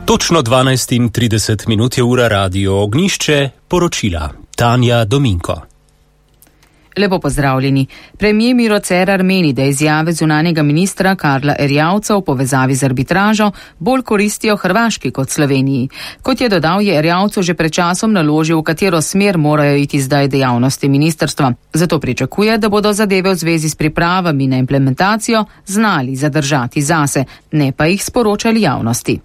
Točno 12:30 je ura Radio Ognjišče, poročila Tanja Dominko. Lepo pozdravljeni. Premier Miro Cerar meni, da izjave zunanjega ministra Karla Erjavca v povezavi z arbitražo bolj koristijo Hrvaški kot Sloveniji. Kot je dodal, je Erjavcu že pred časom naložil, v katero smer morajo iti zdaj dejavnosti ministrstva. Zato pričakuje, da bodo zadeve v zvezi s pripravami na implementacijo znali zadržati zase, ne pa jih sporočali javnosti.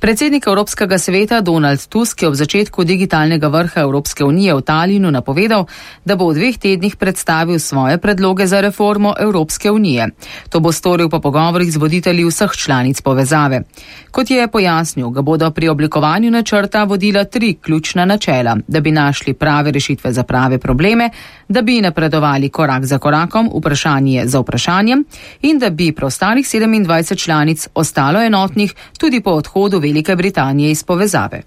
Predsednik Evropskega sveta Donald Tusk je ob začetku digitalnega vrha Evropske unije v Talinu napovedal, da bo v 2 tednih predstavil svoje predloge za reformo Evropske unije. To bo storil po pogovorih z voditelji vseh članic povezave. Kot je pojasnil, ga bodo pri oblikovanju načrta vodila 3 ključna načela, da bi našli prave rešitve za prave probleme, da bi napredovali korak za korakom, vprašanje za vprašanjem in da bi preostalih 27 članic ostalo enotnih tudi po odhodu Velike Britanije iz povezave.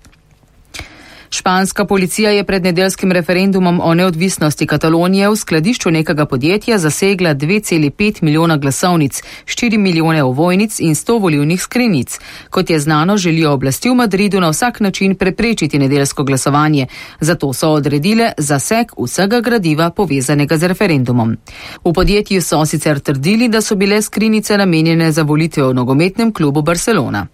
Španska policija je pred nedeljskim referendumom o neodvisnosti Katalonije v skladišču nekega podjetja zasegla 2,5 milijona glasovnic, 4 milijone ovojnic in 100 volilnih skrinjic. Kot je znano, želijo oblasti v Madridu na vsak način preprečiti nedeljsko glasovanje, zato so odredile zaseg vsega gradiva povezanega z referendumom. V podjetju so sicer trdili, da so bile skrinjice namenjene za volitve v nogometnem klubu Barcelona.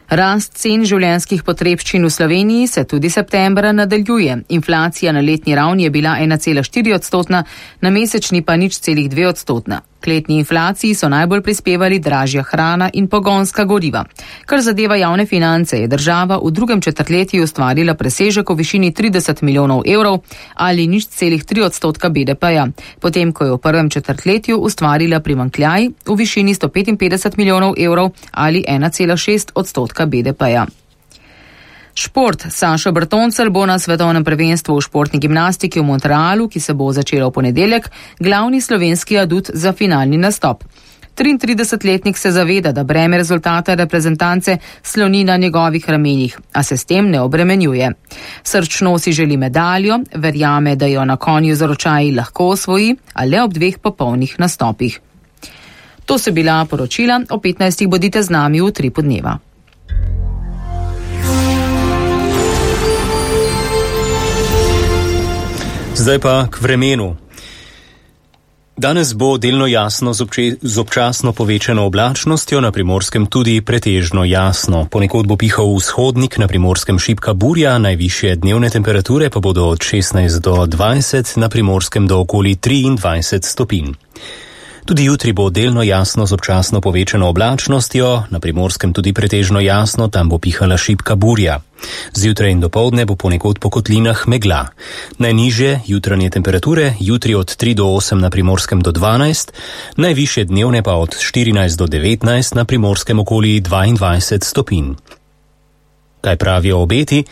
Rast cen življenjskih potrebščin v Sloveniji se tudi septembra nadaljuje. Inflacija na letni ravni je bila 1,4%, na mesečni pa 0,2%. K letni inflaciji so najbolj prispevali dražja hrana in pogonska goriva. Kar zadeva javne finance, je država v drugem četrtletju ustvarila presežek v višini 30 milijonov evrov ali 0,3% BDP-ja, potem ko je v prvem četrtletju ustvarila primanjkljaj v višini 155 milijonov evrov ali 1,6% BDP-ja. Šport. Sašo Bertoncelj bo na svetovnem prvenstvu v športni gimnastiki v Montrealu, ki se bo začelo v ponedeljek, glavni slovenski adut za finalni nastop. 33-letnik se zaveda, da breme rezultata reprezentance sloni na njegovih ramenih, a se s tem ne obremenjuje. Srčno si želi medaljo, verjame, da jo na konju z ročaji lahko osvoji, a le ob 2 popolnih nastopih. To so bila poročila, o 15. bodite z nami v 3 podneva. Zdaj pa k vremenu. Danes bo delno jasno z občasno povečano oblačnostjo, na Primorskem tudi pretežno jasno. Ponekod bo pihal vzhodnik, na Primorskem šibka burja, najvišje dnevne temperature pa bodo od 16 do 20, na Primorskem do okoli 23 stopinj. Tudi jutri bo delno jasno z občasno povečano oblačnostjo, na Primorskem tudi pretežno jasno, tam bo pihala šibka burja. Zjutraj in dopoldne bo ponekod po kotlinah megla. Najnižje jutranje temperature, jutri od 3 do 8 na Primorskem do 12, najvišje dnevne pa od 14 do 19, na Primorskem okoli 22 stopinj. Kaj pravijo obeti?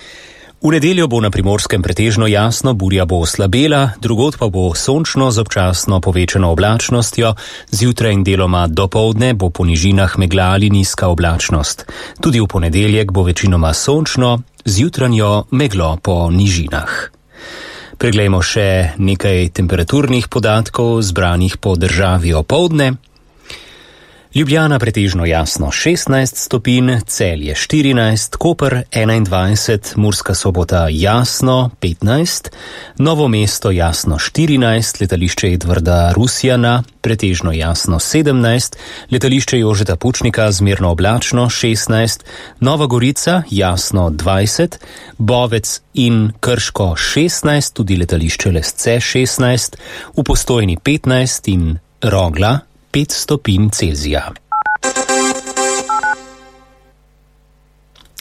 V nedeljo bo na Primorskem pretežno jasno, burja bo oslabela, drugod pa bo sončno z občasno povečano oblačnostjo, zjutraj in deloma dopoldne bo po nižinah megla ali nizka oblačnost. Tudi v ponedeljek bo večinoma sončno, z jutranjo meglo po nižinah. Preglejmo še nekaj temperaturnih podatkov zbranih po državi opoldne. Ljubljana pretežno jasno 16 stopinj, Celje 14, Koper 21, Murska Sobota jasno 15, Novo mesto jasno 14, letališče Edvarda Rusjana pretežno jasno 17, letališče Jožeta Pučnika zmerno oblačno 16, Nova Gorica jasno 20, Bovec in Krško 16, tudi letališče Lesce 16, v Postojni 15 in Rogla 5 stopinj Celzija.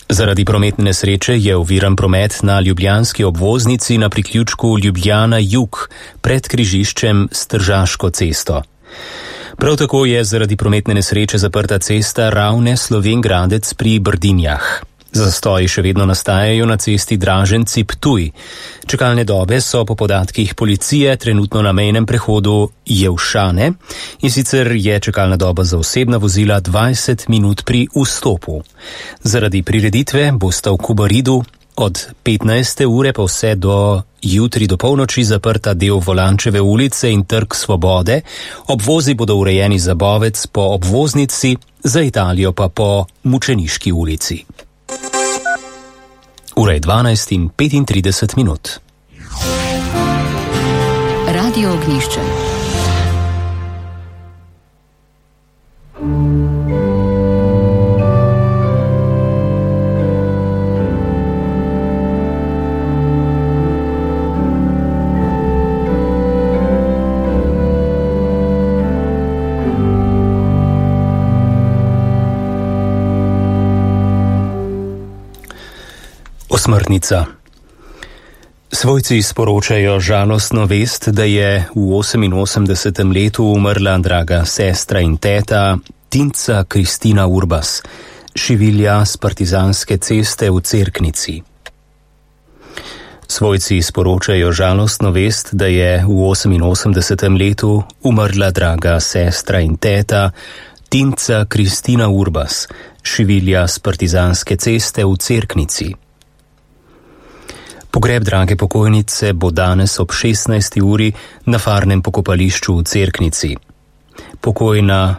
Zaradi prometne nesreče je oviran promet na ljubljanski obvoznici na priključku Ljubljana Jug pred križiščem s Tržaško cesto. Prav tako je zaradi prometne nesreče zaprta cesta Ravne-Slovenj Gradec pri Brdinjah. Zastoji še vedno nastajajo na cesti Draženci-Ptuj. Čakalne dobe so po podatkih policije trenutno na mejnem prehodu Jevšane, in sicer je čakalna doba za osebna vozila 20 minut pri vstopu. Zaradi prireditve bosta v Kubaridu od 15. ure pa vse do jutri do polnoči zaprta del Volančeve ulice in Trg Svobode. Obvozi bodo urejeni za Bovec po obvoznici, za Italijo pa po Mučeniški ulici. Ura je 12:35. Radio Ognjišče. Osmrtnica. Svojci sporočajo žalostno vest, da je v 88. letu umrla draga sestra in teta Tinca Kristina Urbas, šivilja s Partizanske ceste v Cerknici. Svojci sporočajo žalostno vest, da je v 88. letu umrla draga sestra in teta Tinca Kristina Urbas, šivilja s Partizanske ceste v Cerknici. Pogreb drage pokojnice bo danes ob 16. uri na farnem pokopališču v Cerknici. Pokojna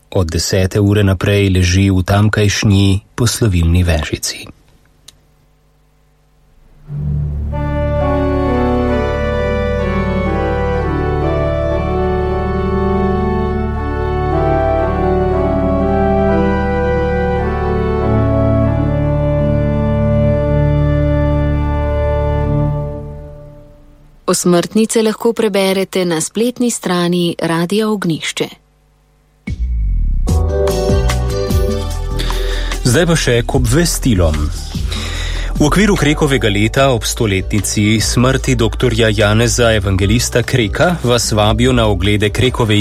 od 10. ure naprej leži v tamkajšnji poslovilni vežici. Osmrtnice lahko preberete na spletni strani Radia Ognjišče. Zdaj pa še k obvestilom. V okviru Krekovega leta ob 100-letnici smrti dr. Janeza Evangelista Kreka vas vabijo na oglede Krekove